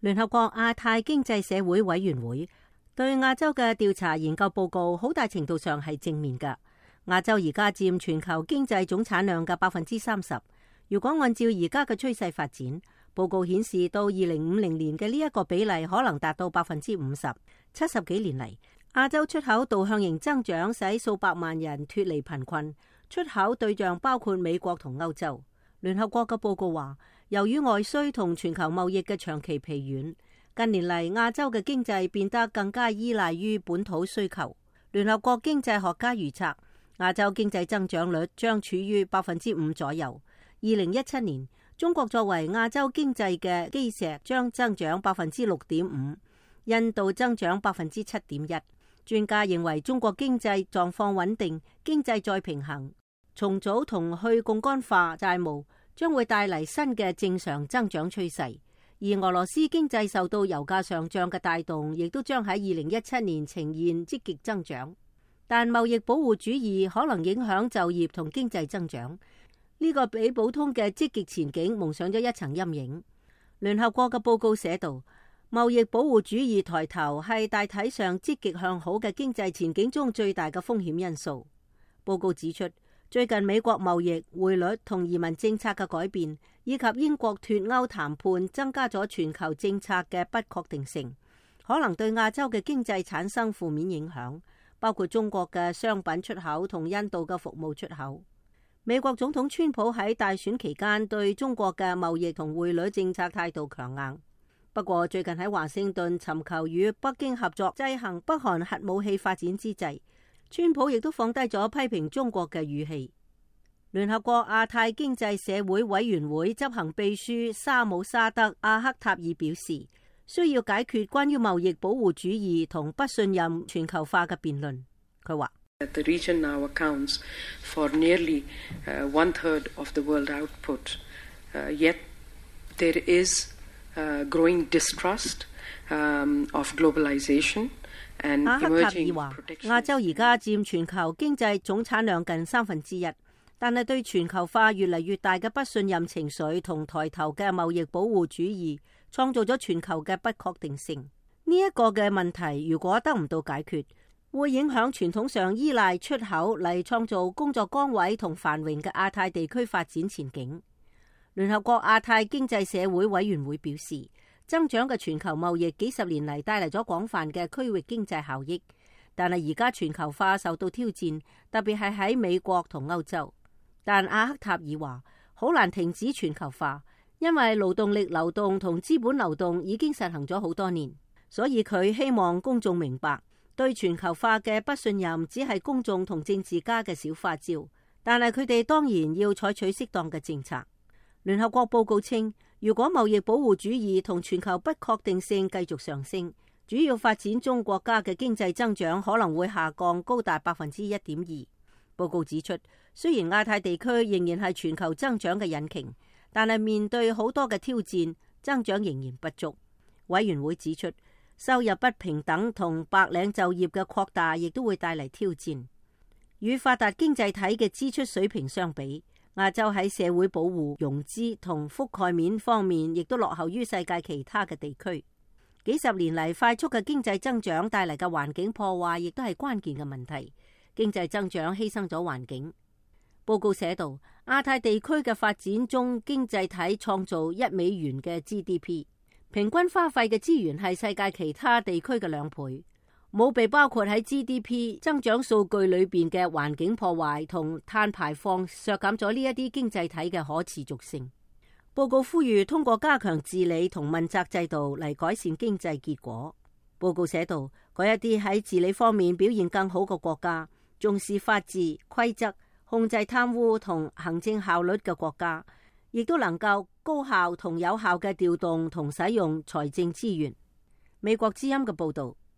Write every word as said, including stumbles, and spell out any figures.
聯合國亞太經濟社會委員會對亞洲嘅調查研究報告好大程度上係正面㗎。亞洲而家佔全球經濟總產量嘅百分之三十。如果按照而家嘅趨勢發展，報告顯示到二零五零年嘅呢一個比例可能達到百分之五十。七十幾年嚟，亞洲出口導向型增長使數百萬人脫離貧困，出口對象包括美國同歐洲。聯合國嘅報告話，由於外需同全球貿易嘅長期疲軟，近年嚟亞洲嘅經濟變得更加依賴於本土需求。聯合國經濟學家預測，亞洲經濟增長率將處於百分之五左右。二零一七年，中國作為亞洲經濟嘅基石，將增長百分之六點五，印度增長百分之七點一。專家認為，中國經濟狀況穩定，經濟再平衡，重組同去槓桿化債務將會帶嚟新嘅正常增長趨勢。而俄羅斯經濟受到油價上漲嘅帶動，亦都將喺二零一七年呈現積極增長。但貿易保護主義可能影響就業同經濟增長，呢個比普通嘅積極前景蒙上咗一層陰影。聯合國嘅報告寫道，貿易保護主義抬頭係大體上積極向好嘅經濟前景中最大嘅風險因素。報告指出，最近美國貿易、匯率同移民政策嘅改變，以及英國脫歐談判，增加咗全球政策嘅不確定性，可能對亞洲嘅經濟產生負面影響，包括中國嘅商品出口同印度嘅服務出口。美國總統川普喺大選期間對中國嘅貿易同匯率政策態度強硬，不過最近喺華盛頓尋求與北京合作制衡北韓核武器發展之際，川普亦都放低咗批評中國嘅語氣。聯合國亞太經濟社會委員會執行秘書沙姆沙德阿克塔爾表示，需要解決關於貿易保護主義同不信任全球化嘅辯論。佢話：The region now accounts for nearly one third of the world output. Yet there is growing distrust of globalization. 阿克塔爾話：亞洲而家佔全球經濟總產量近三分之一，但係對全球化越嚟越大嘅不信任情緒同抬頭嘅貿易保護主義，創造咗全球嘅不確定性。呢一個嘅問題如果得唔到解決，會影響傳統上依賴出口嚟創造工作崗位同繁榮嘅亞太地區發展前景。聯合國亞太經濟社會委員會表示，增長嘅全球貿易幾十年嚟帶嚟咗廣泛嘅區域經濟效益，但係而家全球化受到挑戰，特別係喺美國同歐洲。但阿克塔爾話，好難停止全球化，因為勞動力流動同資本流動已經實行咗好多年，所以佢希望公眾明白，對全球化嘅不信任只係公眾同政治家嘅小花招，但係佢哋當然要採取適當嘅政策。聯合國報告稱，如果貿易保護主義同全球不確定性繼續上升，主要發展中國家嘅經濟增長可能會下降高達百分之一點二。報告指出，雖然亞太地區仍然係全球增長嘅引擎，但係面對好多嘅挑戰，增長仍然不足。委員會指出，收入不平等同白領就業嘅擴大亦都會帶嚟挑戰。與發達經濟體嘅支出水平相比，亞洲喺社會保護、融資同覆蓋面方面，亦都落後於世界其他嘅地區。幾十年嚟快速嘅經濟增長帶嚟嘅環境破壞，亦都係關鍵嘅問題。經濟增長犧牲咗環境。報告寫道，亞太地區嘅發展中經濟體創造一美元嘅 G D P， 平均花費嘅資源係世界其他地區嘅兩倍。冇被包括喺 G D P 增長數據裏邊嘅環境破壞同碳排放，削減咗呢一啲經濟體嘅可持續性。報告呼籲通過加強治理同問責制度嚟改善經濟結果。報告寫道，嗰一啲喺治理方面表現更好嘅國家，重視法治、規則、控制貪污同行政效率嘅國家，亦都能夠高效同有效嘅調動同使用財政資源。美國之音嘅報道。